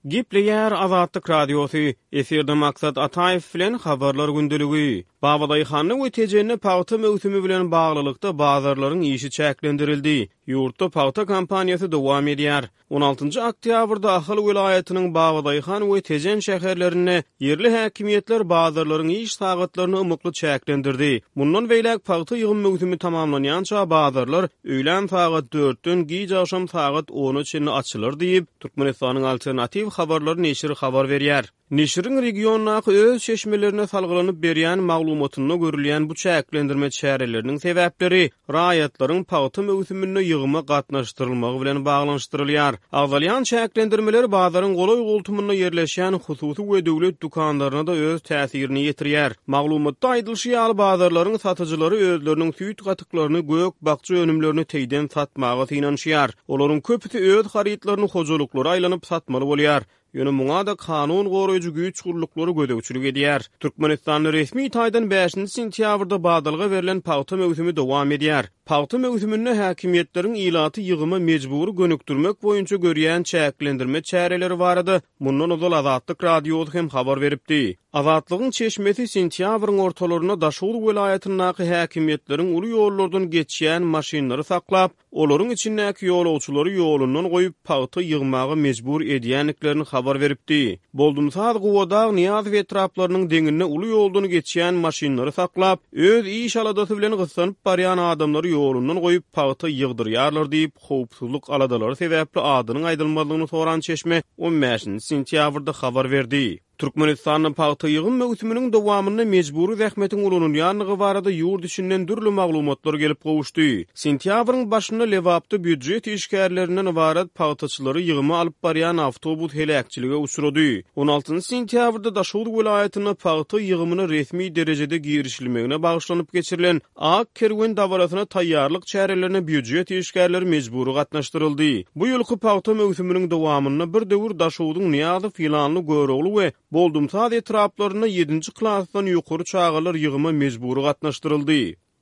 Gepleýär Azatlyk Radiosy, Efirde Maksat Ataýew bilen Habarlar gündeligi. Babadaýhanda we Tejende pagta möwsümi bilen baglylykda bazarlaryň işi çäklendirildi. Ýurtda pagta kampaniýasy dowam edýär. On altynjy oktýabrda Ahal welaýatynyň Babadaýhan we Tejen şäherlerinde ýerli häkimiýetler bazarlaryň iş sagatlaryny ymykly çäklendirdi. Mundan beýläk pagta ýygym möwsümi tamamlanýança bazarlar öýlän sagat dörtden giç agşam sagat ona çenli açylar diýip, Türkmenistanyň Alternatiw habarlary neşiri habar berýär. Neşiriň regiondaky öz çeşmelerine salgylanyp berýän maglumatynda görülýän bu çäklendirme çäreleriniň sebäpleri raýatlaryň pagta möwsüminde ýygyma gatnaşdyrylmagy bilen baglanyşdyrylýar. Agzalýan çäklendirmeler bazaryň golaý-goltumynda ýerleşýän hususy we döwlet dükanlaryna-da öz täsirini ýetirýär. Maglumatda aýdylyşy ýaly, bazarlaryň satyjylary özleriniň süýt-gatyklaryny, gök-bakja önümlerini teýden satmaga synanyşýar. Olaryň köpüsi öz harytlaryny hojalyklara aýlanyp satmaly bolýar. Ýöne muňa-da kanun goraýjy güýç gulluklary gözegçilik edýär. Türkmenistanda resmi taýdan bäşinji sentýabrda badalga berlen pagta möwsümi dowam edýär. Pagta möwsüminde häkimiýetleriň ilaty ýygyma mejbury gönükdirmek boýunça görýän çäklendirme çäreleri barada mundan ozal Azatlyk Radiosy hem habar beripdi. Azatlygyň çeşmesi sentýabryň ortalarynda Daşoguz welaýatyndaky häkimiýetleriň uly ýollardan geçýän maşynlary saklap, olaryň içindäki ýolagçylary ýolundan goýup, pagta ýygmaga mejbur edýändiklerini habar beripdi. Boldumsaz, Gubadag, Nyýazow etraplarynyň deňinde uly ýoldan geçýän maşynlary saklap, öz iş aladasy bilen gyssanyp barýan adamlary ýolundan goýup, pagta ýygdyrýarlar diýip, howpsuzlyk aladalary sebäpli adynyň aýdylmazlygyny soran çeşme on bäşinji sentýabrda habar berdi. Türkmenistanda pagta ýygym möwsüminiň dowamynda mejbury zähmetiň ulanylýandygy barada ýurt içinden dürli maglumatlar gelip gowuşdy. Sentýabryň başynda Lebapda býujet işgärlerinden ybarat pagtaçylary ýygyma alyp barýan awtobus heläkçilige uçrady. On altynjy sentýabrda Daşoguz welaýatynda pagta ýygymyna resmi derejede girişilmegine bagyşlanyp geçirilen Ak kerwen dabarasyna taýýarlyk çärelerine býujet işgärleri mejbury gatnaşdyryldy. Bu ýylky pagta möwsüminiň dowamynda bir döwür Daşogzuň Nyýazow, Ýylanly, Görogly we Boldumsaz etraplarynda ýedinji klasdan ýokary çagalar ýygyma mejbury gatnaşdyryldy.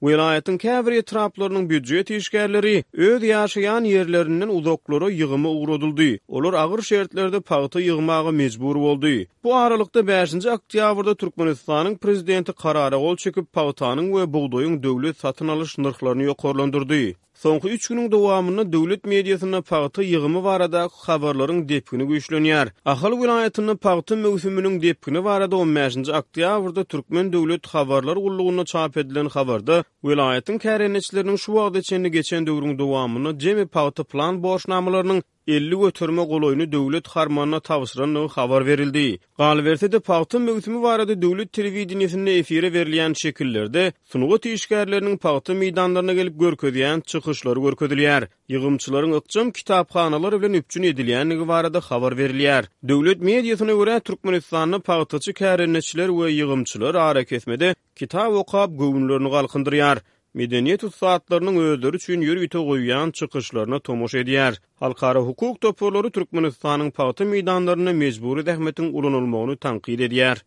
Welaýatyň käbir etraplarynyň býujet işgärleri öz ýaşaýan ýerlerinden uzaklara ýygyma ugradyldy. Olar agyr şertlerde pagta ýygmaga mejbur boldy. Bu aralykda, bäşinji oktýabrda Türkmenistanyň prezidenti karara gol çekip, pagtanyň we bugdaýyň döwlet satyn alyş nyrhlaryny ýokarlandyrdy. Soňky üç günüň dowamynda döwlet mediasynda pagta ýygymy baradaky habarlaryň depgini güýçlenýär. Ahal welaýatynda pagta möwsüminiň depgini barada on bäşinji oktýabrda Türkmen döwlet habarlar gullugynda çap edilen habarda welaýatyň kärendeçileriniň şu wagta çenli geçen döwrüň dowamynda jemi pagta plan borçnamalarynyň 50 göterime golaýyny döwlet harmanyna tabşyrandygy habar berildi. Galyberse-de, pagta möwsümi barada döwlet telewideniýesinde efire berilýän şekillerde sungat işgärleriniň pagta meýdanlaryna gelip görkezýän çykyşlary görkezilýär. Ýygymçylaryň ykjam kitaphanalar bilen üpjün edilýändigi barada habar berilýär. Döwlet mediasyna görä, Türkmenistanda pagtaçy kärendeçiler we ýygymçylar arakesmede kitap okap, göwünlerini galkyndyrýar. Medeniýet ussatlarynyň özleri üçin ýörite goýýan çykyşlaryna tomaşa edýär. Halkara hukuk toparlary Türkmenistanyň pagta meýdanlarynda mejbury zähmetiň ulanylmagyny tankyt edýär.